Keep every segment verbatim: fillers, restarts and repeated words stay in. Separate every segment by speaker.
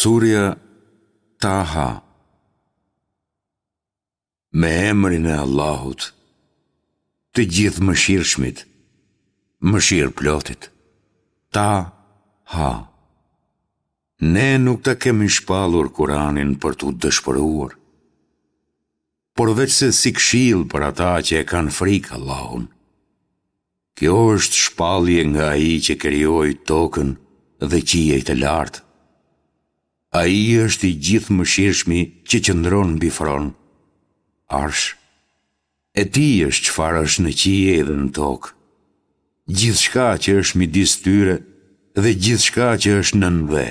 Speaker 1: Surja Taha. Me emrin e Allahut, të Gjithëmëshirshmit, mëshirëplotit. Ta Ha. Ne nuk ta kemi shpallur Kuranin për t'u dëshpëruar, por veçse si këshillë për ata që e kanë frikë Allahun. Kjo është shpallje nga Ai që krijoi tokën dhe qiejt e lartë. Ai është i Gjithëmëshirshmi që qëndron mbi fron, Arsh. E tij është çfarë është në qiej dhe në tokë, gjithçka që është midis tyre dhe gjithçka që është nën dhe.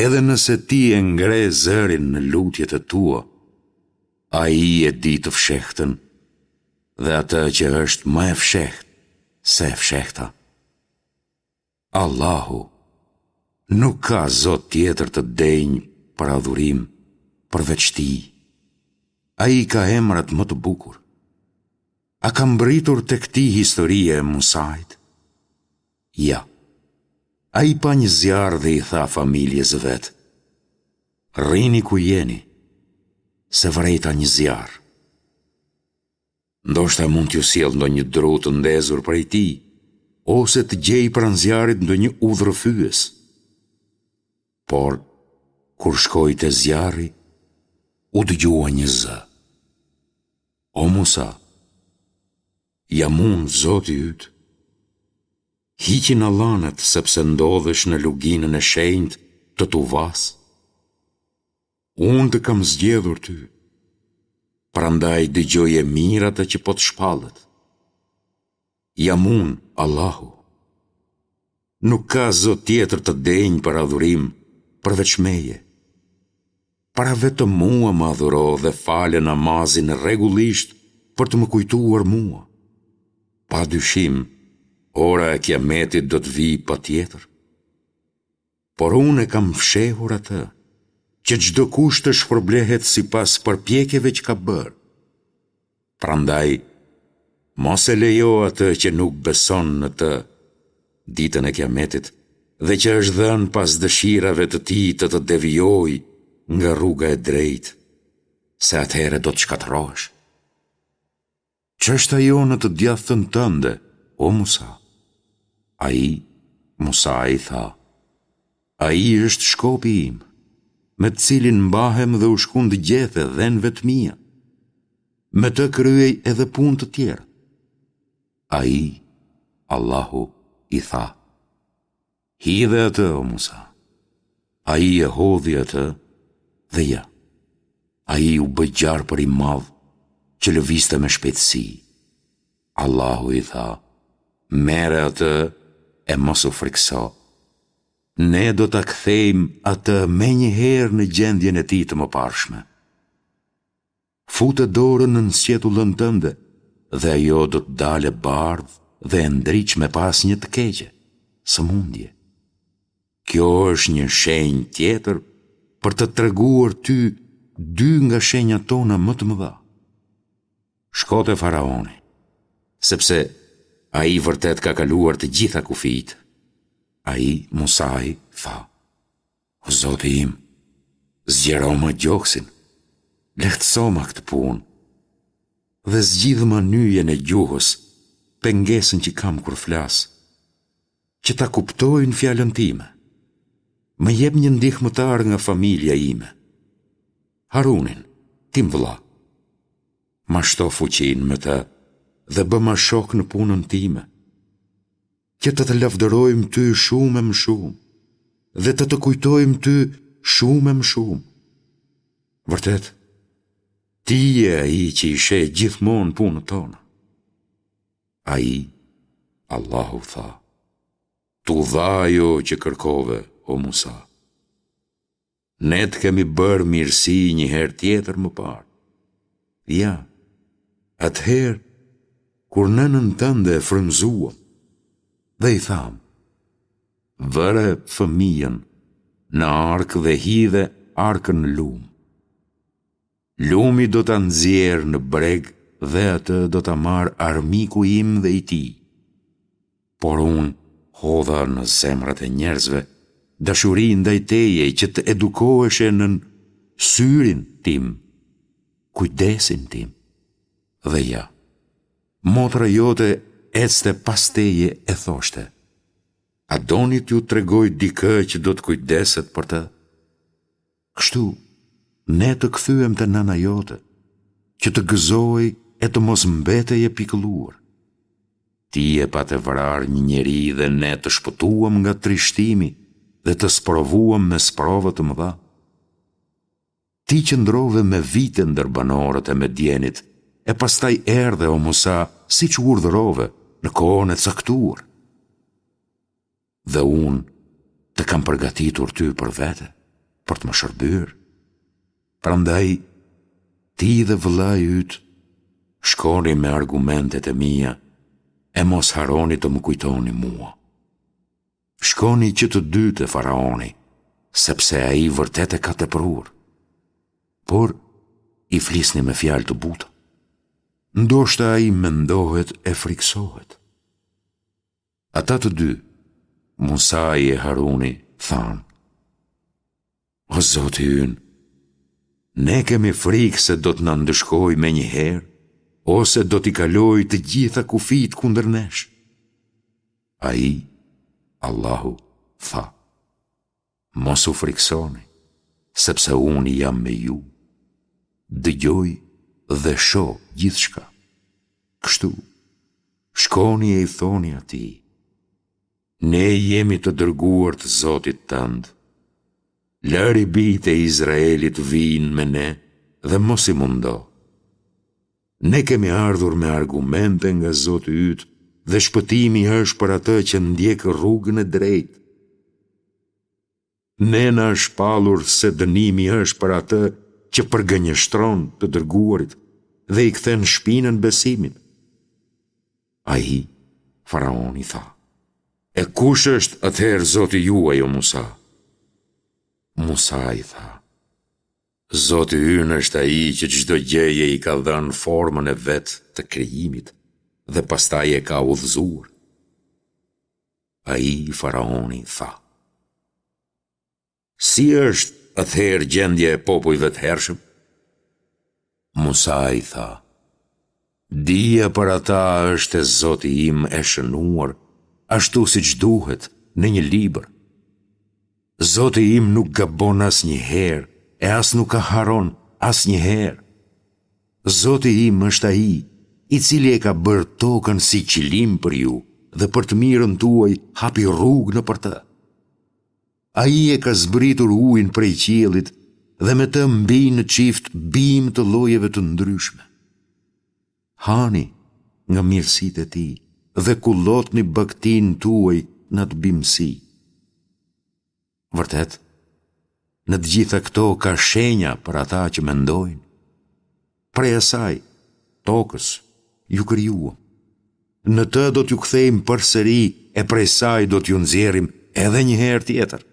Speaker 1: Edhe nëse ti e ngre zërin në lutjet e tua, Ai e di të fshehtën dhe atë që është më e fshehtë se e fshehta. Allahu nuk ka zot tjetër të denjë për adhurim përveç Tij. Ai ka emrat më të bukur. A ka mbërritur tek ti historia e Musait? Ja. Ai pa një zjarr dhe i tha familjes së vet, Rrini ku jeni, se vërejta një zjarr. Ndoshta mund t'ju sjell ndonjë dru të ndezur prej tij, ose të gjej pranë zjarrit ndonjë udhërrëfyes. Por, kur shkoi te zjarri, u dëgjua një zë. O Musa, jam unë Zoti yt. Hiqi nallanet sepse ndodhesh në luginën e shenjtë të Tuvasë. Unë të kam zgjedhur ty, prandaj dëgjoje mirë atë që po të shpallet. Jam unë, Allahu. Nuk ka zot tjetër të denjë për adhurim përveç meje. Pra vetëm mua më adhuro dhe fale namazin rregullisht për të më kujtuar mua. Pa dyshim, ora e Kiametit do të vijë patjetër. Por unë e kam fshehur atë, që çdokush të shpërblehet sipas përpjekjeve që ka bërë. Prandaj, mos e lejo atë që nuk beson në të, ditën e Kiametit, dhe që është dhënë pas dëshirave të tij të të devijojë nga rruga e drejtë, se atëherë do të shkatërrohesh. Ç'është ajo në të djathtën tënde, o Musa? Ai, Musai, tha, Ai është shkopi im, me të cilin mbahem dhe u shkund gjethe dhenve të mia. Me të kryej edhe punë të tjera. Ai, Allahu, i tha, Hidhe atë, o Musa. Ai e hodhi atë dhe ja, ai u bë gjarpër i madh që lëvizte me shpejtësi. Allahu i tha, Merre atë e mos u frikëso. Ne do ta kthejmë atë menjëherë në gjendjen e tij të mëparshme. Fute dorën nën sqetullën tënde dhe ajo do të dalë e bardhë dhe e ndritshme pa asnjë të keqe, sëmundje. Kjo është një shenjë tjetër për të treguar ty dy nga shenjat tona më të mëdha. Shko te faraoni, sepse ai vërtet ka kaluar të gjitha kufijtë. Ai, Musai, tha, O Zoti im, zgjeroma gjoksin, lehtësoma këtë punë dhe zgjidhma nyjen e gjuhës, pengesën që kam kur flas, që ta kuptojnë fjalën time. Më jep një ndihmëtar nga familja ime. Harunin, tim vëlla. Ma shto fuqinë me të dhe bëma shok në punën time, që të të lavdërojmë ty shumë e më shumë dhe të të kujtojmë ty shumë e më shumë. Vërtet, ti je ai që i sheh gjithmonë punët tona. Ai, Allahu tha, T'u dha ajo që kërkove, o Musa. Ne të kemi bërë mirësi një herë tjetër më parë. Ja, atëherë, kur nënën tënde e frymëzuam dhe i thamë, vëre fëmijën në arkë dhe hidhe arkën në lumë. Lumi do ta nxjerrë në breg dhe atë do ta marrë armiku im dhe i tij. Por unë hodha në zemrat e njerëzve dashuri ndaj teje që të edukoheshe nën syrin tim, kujdesin tim. Dhe ja, motra jote ecte pas teje e thoshte, a doni t'ju tregoj dikë që do të kujdeset për të? Kështu, ne të kthyem te nëna jote, që të gëzohej e të mos mbetej e pikëlluar. Ti e pate vrarë një njeri dhe ne të shpëtuam nga trishtimi dhe të sprovuam me sprova të mëdha. Ti qëndrove me vite ndër banorët e Medjenit, e pastaj erdhe, o Musa, siç u urdhërove, në kohën e caktuar. Dhe unë të kam përgatitur ty për vete, për të më shërbyer. Prandaj, ti dhe vëllai yt shkoni me argumentet e mia e mos harroni të më kujtoni mua. Shkoni që të dy te faraoni, sepse ai vërtet e ka tepruar. Por, i flisni me fjalë të buta. Ndoshta ai mendohet e frikësohet. Ata të dy, Musai e Haruni, thanë, O Zoti ynë, ne kemi frikë se do të na ndëshkojë menjëherë, ose do t'i kalojë të gjitha kufijtë kundër nesh. Ai, Allahu, tha, Mos u frikësoni, sepse unë jam me ju. Dëgjoj dhe shoh gjithçka. Kështu, shkoni e i thoni atij, Ne jemi të dërguar të Zotit tënd. Lëri bijtë e Izraelit të vijnë me ne dhe mos i mundo. Ne kemi ardhur me argumente nga Zoti yt dhe shpëtimi është për atë që ndjek rrugën e drejtë. Ne na është shpallur se dënimi është për atë që përgënjeshtron të dërguarit dhe i kthen shpinën besimit. Ai, faraoni tha, E kush është atëherë Zoti juaj, o Musa? Musai tha, Zoti ynë është ai që çdo gjëje i ka dhënë formën e vet të krijimit dhe pastaj e ka udhëzuar. Ai, faraoni, tha, Si është atëherë gjendja e popujve të hershëm? Musai tha, Dija për ata është te Zoti im e shënuar, ashtu siç duhet, në një libër. Zoti im nuk gabon asnjëherë e as nuk harron asnjëherë. Zoti im është ai, i cili e ka bërë tokën si qilim për ju dhe për të mirën tuaj hapi rrugë nëpër të. Ai e ka zbritur ujin prej qiellit dhe me të mbijnë në çift bimë të llojeve të ndryshme. Hani nga mirësitë e tij dhe kullotni bagëtinë tuaj në atë bimësi. Vërtet, në të gjitha këto ka shenja për ata që mendojnë. Prej asaj, tokës, ju krijuam. Në të do t'ju kthejmë përsëri e prej saj do t'ju nxjerrim edhe një herë tjetër.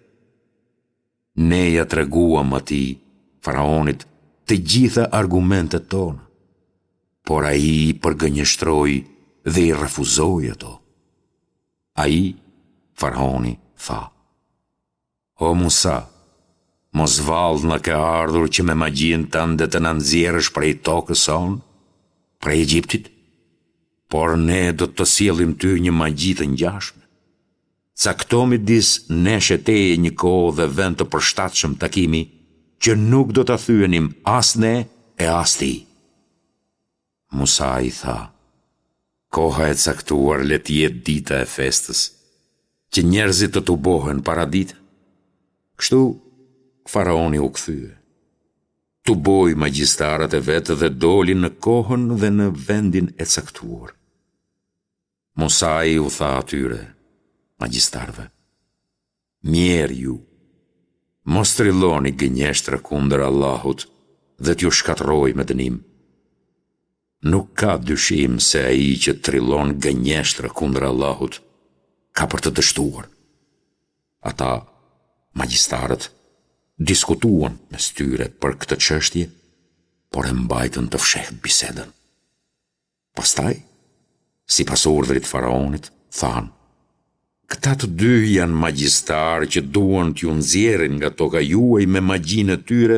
Speaker 1: Ne ia treguam atij, faraonit, të gjitha argumentet tona, por ai i përgënjeshtroi dhe i refuzoi ato. Ai, faraoni, tha, O Musa, mos vallë na ke ardhur që me magjinë tënde të na nxjerrësh prej tokës sonë, prej Egjiptit? Por ne do të të sjellim ty një magji të ngjashme. Cakto midis nesh e teje një kohë dhe vend të përshtatshëm takimi, që nuk do ta thyenim as ne e as ti. Musai tha, Koha e caktuar le të jetë dita e festës, që njerëzit të tubohen paradite. Kështu, faraoni u kthye. Tuboi magjistarët e vet dhe doli në kohën dhe në vendin e caktuar. Musai u tha atyre, magjistarëve, Mjerë ju! Mos trilloni gënjeshtra kundër Allahut dhe t'ju shkatërrojë me dënim. Nuk ka dyshim se ai që trillon gënjeshtra kundër Allahut ka për të dështuar. Ata, magjistarët, diskutuan mes tyre për këtë çështje, por e mbajtën të fshehtë bisedën. Pastaj, sipas urdhrit të faraonit, thanë, Këta të dy janë magjistarë që duan t'ju nxjerrin nga toka juaj me magjinë e tyre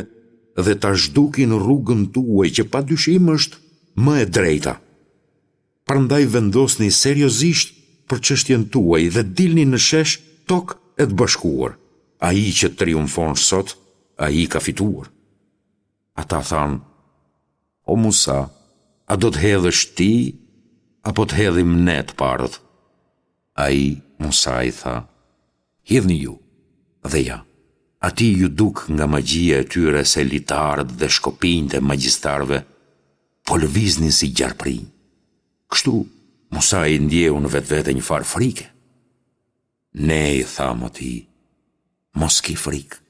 Speaker 1: dhe ta zhdukin rrugën tuaj që pa dyshim është më e drejta. Prandaj vendosni seriozisht për çështjen tuaj dhe dilni në shesh tok e të bashkuar. Ai që triumfon sot, ai ka fituar. Ata thanë, O Musa, a do të hedhësh ti, apo të hedhim ne të parët? Ai, Musai, tha, Hidhni ju, dhe ja, atij iu duk nga magjia e tyre se litarët dhe shkopinjtë e magjistarëve po lëviznin si gjarpërinj. Kështu, Musai ndjeu në vetvete një farë frike. Ne i thamë atij, mos ki frikë,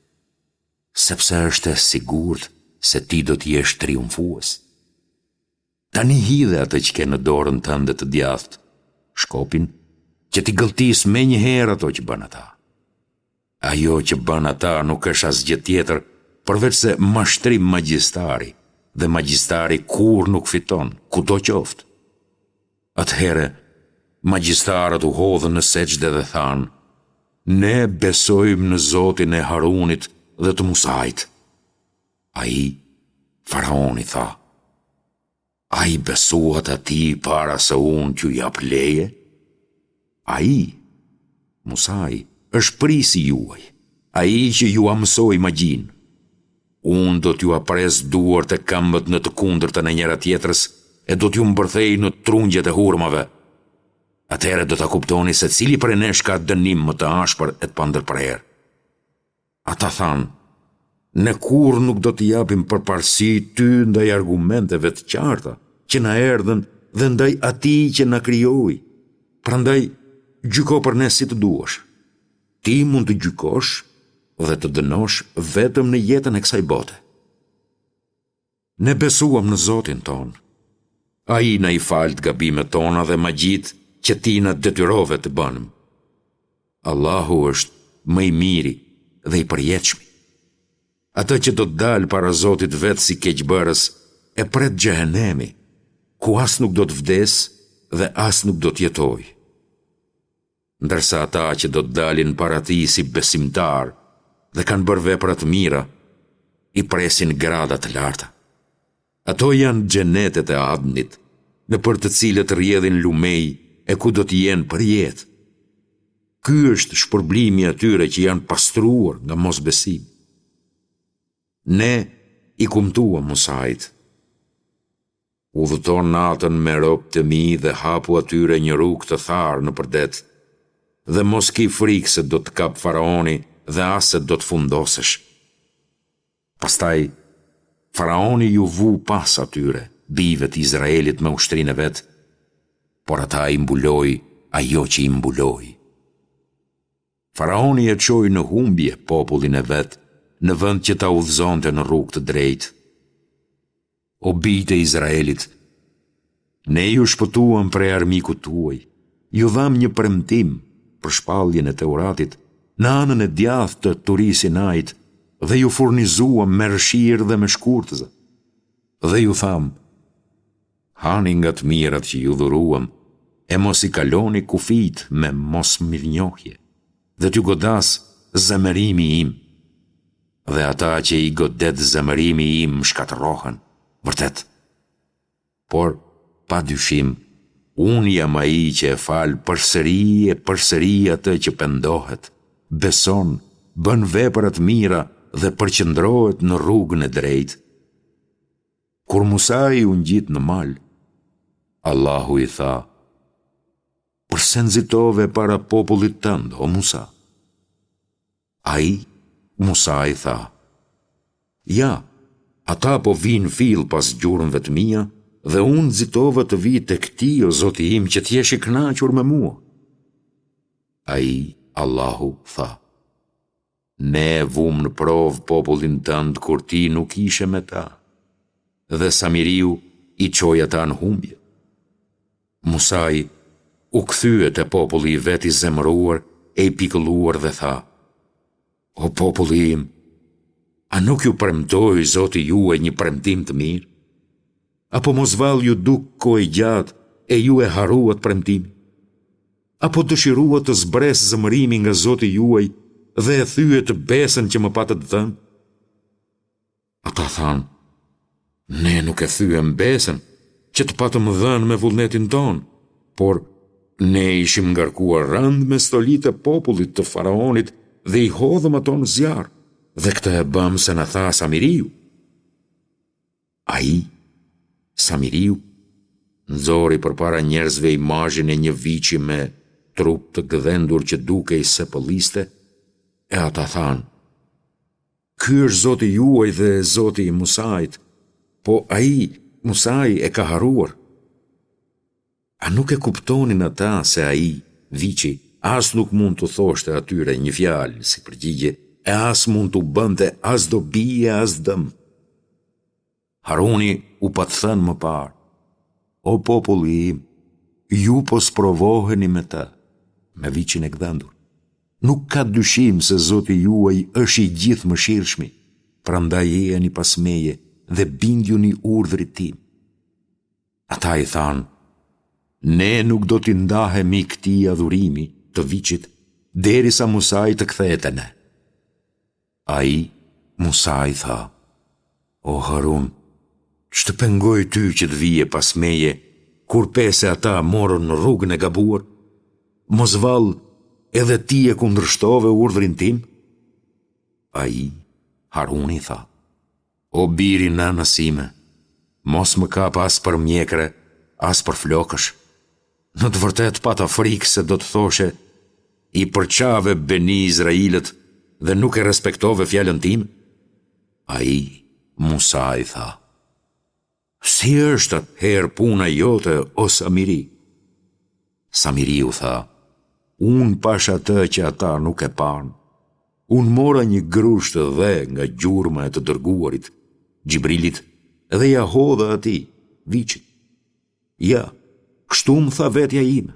Speaker 1: sepse është e sigurt se ti do të jesh triumfues. Tani hidhe atë që ke në dorën tënde të djathtë, shkopin, që t'i gëlltisë menjëherë ato që bënë ata. Ajo që bënë ata nuk është asgjë tjetër përveçse mashtrim magjistari, dhe magjistari kurrë nuk fiton, kudo qoftë. Atëherë, magjistarët u hodhën në sexhde dhe thanë, Ne besojmë në Zotin e Harunit dhe të Musait. Ai, faraoni tha, A i besuat atij para se unë t'ju jap leje? Ai, Musai, është prijësi juaj, ai që jua mësoi magjinë. Unë do t'jua pres duart e këmbët në të kundërtën e njëra-tjetrës e do t'ju mbërthej në trungjet e hurmave. Atëherë do ta kuptoni se cili prej nesh ka dënim më të ashpër e të pandërprerë. Ata thanë, Ne kurrë nuk do të japim përparësi ty ndaj argumenteve të qarta që na erdhën dhe ndaj atij që na krijoi. Prandaj, gjyko për ne si të duash. Ti mund të gjykosh dhe të dënosh vetëm në jetën e kësaj bote. Ne besuam në Zotin tonë. Ai na i faltë gabimet tona dhe magjitë që ti na detyrove të bënim. Allahu është më i miri dhe i përjetshmi. Atë që do të dalë para Zotit vet si keqbërës, e pret xhehenemi, ku as nuk do të vdesë dhe as nuk do të jetojë. Ndërsa ata që do të dalin para tij si besimtarë dhe kanë bërë vepra të mira, i presin grada të larta. Ato janë xhenetet e Adnit, nëpër të cilët rrjedhin lumenj e ku do të jenë përjetë. Ky është shpërblimi i atyre që janë pastruar nga mosbesimi. Ne i kumtuam Musait, Udhëto natën me robët e mi dhe hapu atyre një rrugë të tharë nëpër det, dhe mos ki frikë se do të kapë faraoni dhe as se do të fundosesh. Pastaj, faraoni iu vu pas atyre, bijve të Izraelit me ushtrinë e vet, por ata i mbuloi ajo që i mbuloi. Faraoni e çoi në humbje popullin e vet në vend që ta udhëzonte në rrugë të drejtë. O bijtë e Izraelit, ne ju shpëtuam prej armikut tuaj, ju dhamë një premtim për shpalljen e Teuratit në anën e djathtë të Turi Sinait dhe ju furnizuam me rrëshirë dhe me shkurtëza. Dhe ju thamë, hani nga të mirat që ju dhuruam e mos i kaloni kufijtë me mosmirënjohje, dhe t'ju godasë zemërimi im. Dhe ata që i godet zemërimi im shkatërrohen, vërtet. Por, pa dyshim, unë jam ai që e fal përsëri e përsëri atë që pendohet, beson, bën vepra të mira dhe përqendrohet në rrugën e drejtë. Kur Musai u ngjit në mal, Allahu i tha, Përse nxitove para popullit tënd, o Musa? Ai, Musai tha, Ja, ata po vijnë fill pas gjurmëve të mia dhe unë nxitova të vij tek ti, o Zoti im, që të jesh i kënaqur me mua. Ai, Allahu, tha, Ne e vumë në provë popullin tënd kur ti nuk ishe me ta, dhe Samiriu i çoi ata në humbje. Musai u kthye te populli i vet i zemëruar e i pikëlluar dhe tha, O populli im, a nuk ju premtoi Zoti juaj një premtim të mirë? Apo mos vallë iu duk kohë e gjatë e ju e harruat premtimin? Apo dëshiruat të zbresë zemërimi nga Zoti juaj dhe e thyet besën që më patët dhënë? Ata thanë, Ne nuk e thyem besën që të patëm dhënë me vullnetin tonë, por ne ishim ngarkuar rëndë me stolitë e popullit të faraonit dhe i hodhëm ato në zjarr, dhe këtë e bëmë se na tha Samiriu. Ai, Samiriu, nxori përpara njerëzve imazhin e një viçi me trup të gdhendur që dukej se pëlliste, e ata thanë, Ky është Zoti juaj dhe Zoti i Musait, po ai, Musai, e ka harruar. A nuk e kuptonin ata se ai, viçi, as nuk mund t'u thoshte atyre një fjalë si përgjigje e as mund t'u bënte as dobi e as dëm? Haruni u pat thënë më parë, O populli im, ju po sprovoheni me të, me viçin e gdhendur. Nuk ka dyshim se Zoti juaj është i Gjithëmëshirshmi, prandaj ejani pas meje dhe bindjuni urdhrit tim. Ata i thanë, Ne nuk do t'i ndahemi këtij adhurimi, të viçit, derisa Musai të kthehet te ne. Ai, Musai, tha, O Harun, ç'të pengoi ty që të vije pas meje, kur pe se ata morën rrugën e gabuar? Mos vallë, edhe ti e kundërshtove urdhrin tim? Ai, Haruni, tha, O bir i nënës sime, mos më kap as për mjekre, as për flokësh. Në të vërtetë pata frikë se do të thoshe, i përçave Beni Izrailët dhe nuk e respektove fjalën time? Ai, Musai, tha, Si është atëherë puna jote, o Samiri? Samiriu tha, Unë pashë atë që ata nuk e panë. Unë mora një grusht dhe nga gjurma e të dërguarit, Xhibrilit, dhe ia hodha atij, viçit. Ja, kështu më tha vetja ime.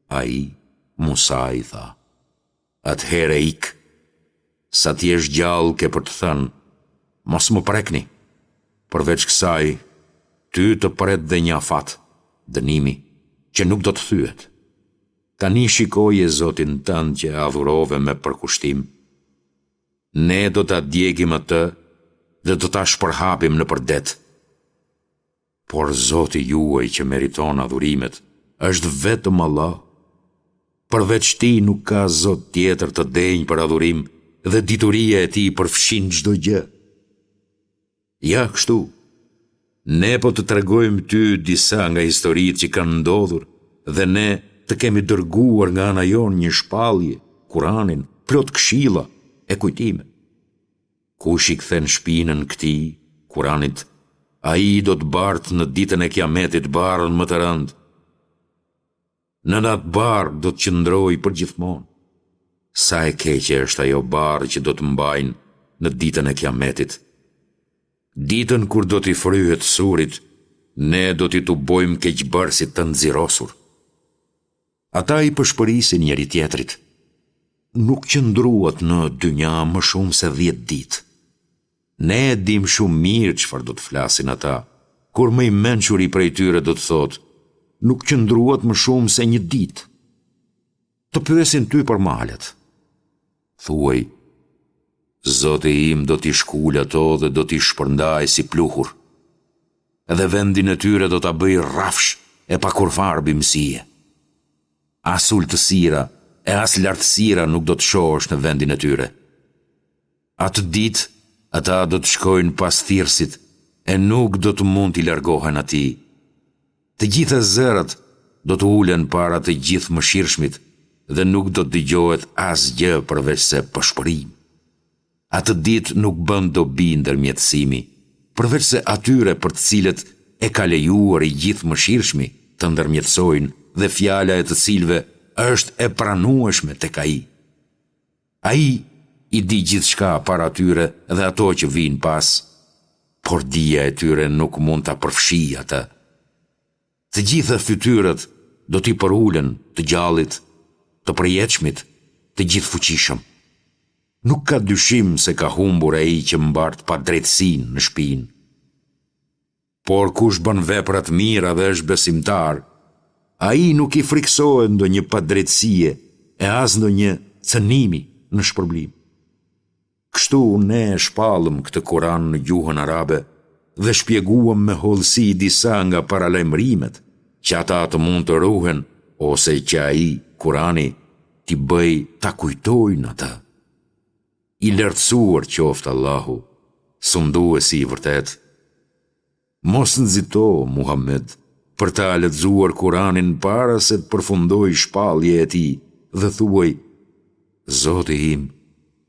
Speaker 1: Ai, Musai, tha, Atëherë ik. Sa të jesh gjallë ke për të thënë, mos më prekni. Përveç kësaj, ty të pret dhe një afat, dënimi, që nuk do të thyhet. Tani shikoje Zotin tënd që e adhurove me përkushtim. Ne do ta djegim atë dhe do ta shpërhapim nëpër det. Por Zoti juaj që meriton adhurimet është vetëm Allah. Përveç Tij nuk ka Zot tjetër të denjë për adhurim dhe dituria e Tij përfshin çdo gjë. Ja kështu, ne po të tregojmë ty disa nga historitë që kanë ndodhur dhe ne të kemi dërguar nga ana jonë një shpallje, Kuranin, plot këshilla e kujtime. Kush i kthen shpinën këtij, Kuranit, ai do të bartë në ditën e Kiametit barrën më të rëndë. Nën atë barrë do të qëndrojë përgjithmonë. Sa e keqe është ajo barrë që do të mbajnë në ditën e Kiametit. Ditën kur do t'i fryhet surit, ne do t'i tubojmë keqbërësit të nxirosur. Ata i pëshpërisin njëri-tjetrit, Nuk qëndruat në dynja më shumë se dhjetë ditë. Ne e dimë shumë mirë çfarë do të flasin ata, kur më i mençuri prej tyre do të thotë, Nuk qëndruat më shumë se një ditë. Të pyesin ty për malet. Thuaj, Zoti im do t'i shkulë ato dhe do t'i shpërndajë si pluhur. Dhe vendin e tyre do ta bëjë rrafsh e pa kurrfarë bimësie. As ultësira e as lartësira nuk do të shohësh në vendin e tyre. Atë ditë ata do të shkojnë pas thirrësit e nuk do të mund t'i largohen atij. Të gjitha zërat do të ulen para të Gjithëmëshirshmit dhe nuk do të dëgjohet asgjë përveçse pëshpërimë. Atë ditë nuk bën dobi ndërmjetësimi, përveçse atyre për të cilët e ka lejuar i Gjithëmëshirshmi të ndërmjetësojnë dhe fjala e të cilëve është e pranueshme tek Ai. Ai i di gjithçka para tyre dhe ato që vijnë pas, por dija e tyre nuk mund ta përfshijë atë. Të gjitha fytyrat do t'i përulen të Gjallit, të Përjetshmit, të Gjithëfuqishëm. Nuk ka dyshim se ka humbur ai që mbart padrejtësinë në shpinë. Por kush bën vepra të mira dhe është besimtar, Ai nuk i frikësohet ndonjë padrejtësie e as ndonjë cënimi në shpërblim. Kështu ne e shpallëm këtë Kuran në gjuhën arabe dhe shpjeguam me hollësi disa nga paralajmërimet që ata të mund të ruhen ose që ai, Kurani, t'i bëjë ta kujtojnë atë. I lartësuar qoftë Allahu, Sunduesi i vërtetë. Mos nxito, Muhammed, për ta lexuar Kuranin para se të përfundojë shpallja e tij dhe thuaj, Zoti im,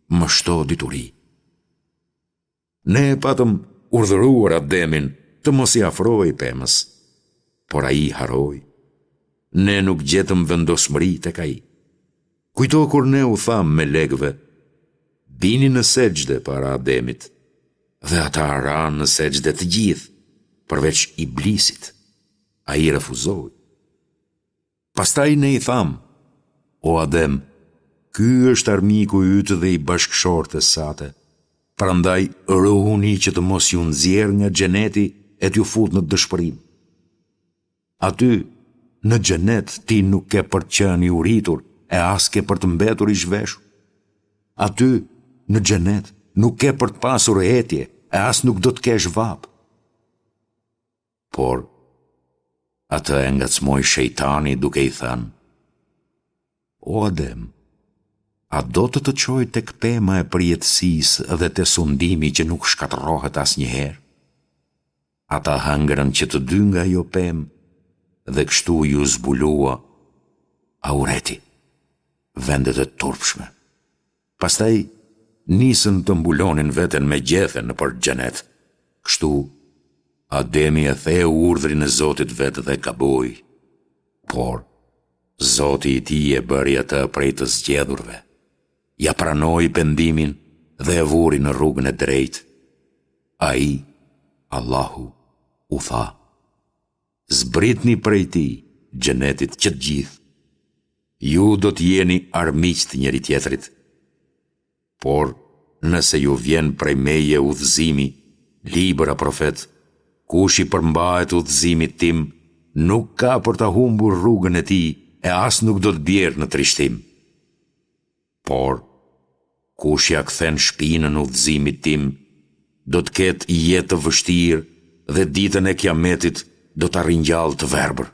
Speaker 1: më shto dituri. Ne e patëm urdhëruar Ademin të mos i afrohej pemës, por ai harroi. Ne nuk gjetëm vendosmëri tek ai. Kujto kur ne u thamë melekëve, Bini në sexhde para Ademit, dhe ata ranë në sexhde të gjithë, përveç Iblisit. Ai refuzoi. Pastaj ne i thamë, O Adem, ky është armiku yt dhe i bashkëshortes sate, prandaj ruhuni që të mos ju nxjerrë nga xheneti e t'ju futë në dëshpërim. Aty, në xhenet, ti nuk ke për të qenë i uritur e as ke për të mbetur i zhveshur. Aty, në xhenet, nuk ke për të pasur etje e as nuk do të kesh vapë. Por, atë e ngacmoi shejtani duke i thënë, O Adem, a do të të çoj tek pema e përjetësisë dhe te sundimi që nuk shkatërrohet asnjëherë? Ata hëngrën që të dy nga ajo pemë dhe kështu iu zbulua aureti, vendet e turpshme. Pastaj nisën të mbulonin veten me gjethe nëpër xhenet. Kështu Ademi e theu urdhrin e Zotit vet dhe gaboi. Por Zoti i tij e bëri atë prej të zgjedhurve. Ia pranoi pendimin dhe e vuri në rrugën e drejtë. Ai, Allahu, u tha, Zbritni prej tij, xhenetit, që të gjithë. Ju do të jeni armiq të njëri-tjetrit. Por, nëse ju vjen prej meje udhëzimi, libër a profet, kush i përmbahet udhëzimit tim, nuk ka për ta humbur rrugën e tij e as nuk do të bjerë në trishtim. Por, kush ia kthen shpinën udhëzimit tim, do të ketë jetë të vështirë dhe ditën e Kiametit do ta ringjall të verbër.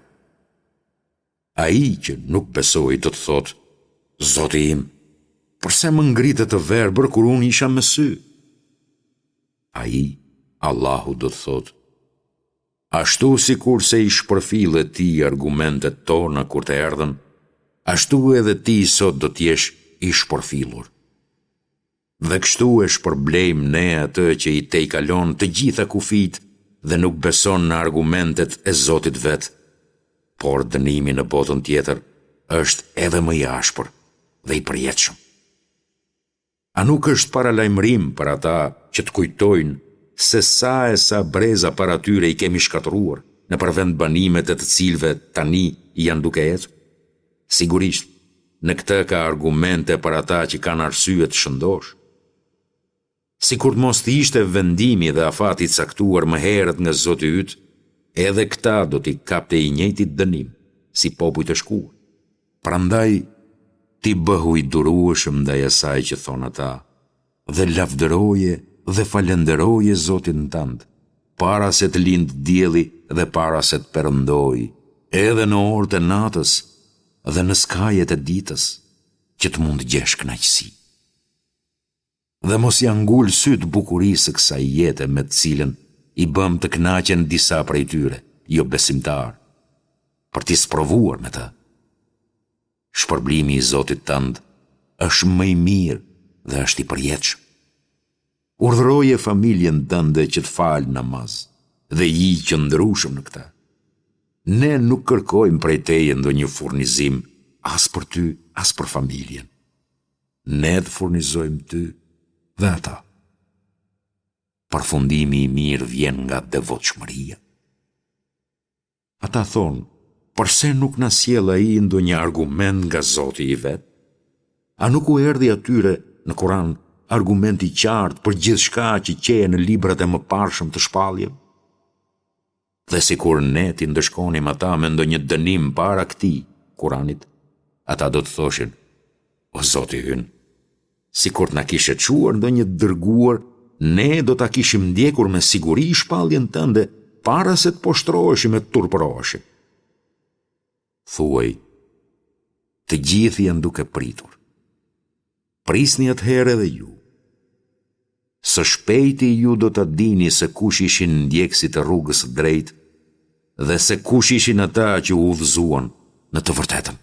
Speaker 1: Ai që nuk besoi do të thotë, Zoti im, përse më ngrite të verbër kur unë isha me sy? Ai, Allahu do të thotë, Ashtu sikurse i shpërfille ti argumentet tona kur të erdhën, ashtu edhe ti sot do të jesh i shpërfillur. Dhe kështu e shpërblejmë ne atë që i tejkalon të gjitha kufijtë dhe nuk beson në argumentet e Zotit vet, por dënimi në botën tjetër është edhe më i ashpër dhe i përjetshëm. A nuk është paralajmërim për ata që të kujtojnë se sa e sa breza para tyre i kemi shkatërruar, nëpër vendbanimet e të cilëve tani janë duke ecur? Sigurisht, në këtë ka argumente për ata që kanë arsye të shëndoshë. Sikur të mos të ishte vendimi dhe afati i caktuar më herët nga Zoti yt, edhe këta do t'i kapte i njëjti dënim, si popujt e shkuar. Prandaj, ti bëhu i durueshëm ndaj asaj që thonë ata, dhe lavdëroje dhe falënderoje Zotin tënd, para se të lindë dielli dhe para se të perëndojë, edhe në orët e natës dhe në skajet e ditës, që të mund të gjesh kënaqësi. Dhe mos ia ngul sytë bukurisë së kësaj jete me të cilën i bëmë të kënaqen disa prej tyre, jobesimtarë, për t'i sprovuar me të. Shpërblimi i Zotit tënd është më i mirë dhe është i përjetshëm. Urdhëroje familjen tënde që të falë namaz dhe ji i qëndrueshëm në këtë. Ne nuk kërkojmë prej teje ndonjë furnizim as për ty, as për familjen. Ne të furnizojmë ty dhe ata. Përfundimi i mirë vjen nga devotshmëria. Ata thonë, përse nuk na sjell ai ndonjë argument nga Zoti i vet? A nuk u erdhi atyre në Kur'an argument i qartë për gjithçka që qe në librat e mëparshëm të shpalljeve? Dhe sikur ne t'i ndëshkonim ata me ndonjë dënim para këtij, Kuranit, ata do të thoshin, O Zoti ynë, sikur të na kishe çuar ndonjë të dërguar, ne do ta kishim ndjekur me siguri shpalljen tënde para se të poshtëroheshim e të turpëroheshim. Thuaj, të gjithë janë duke pritur. Prisni atëherë edhe ju. Së shpejti ju do ta dini se kush ishin ndjekësit e rrugës së drejtë dhe se kush ishin ata që u udhëzuan në të vërtetën.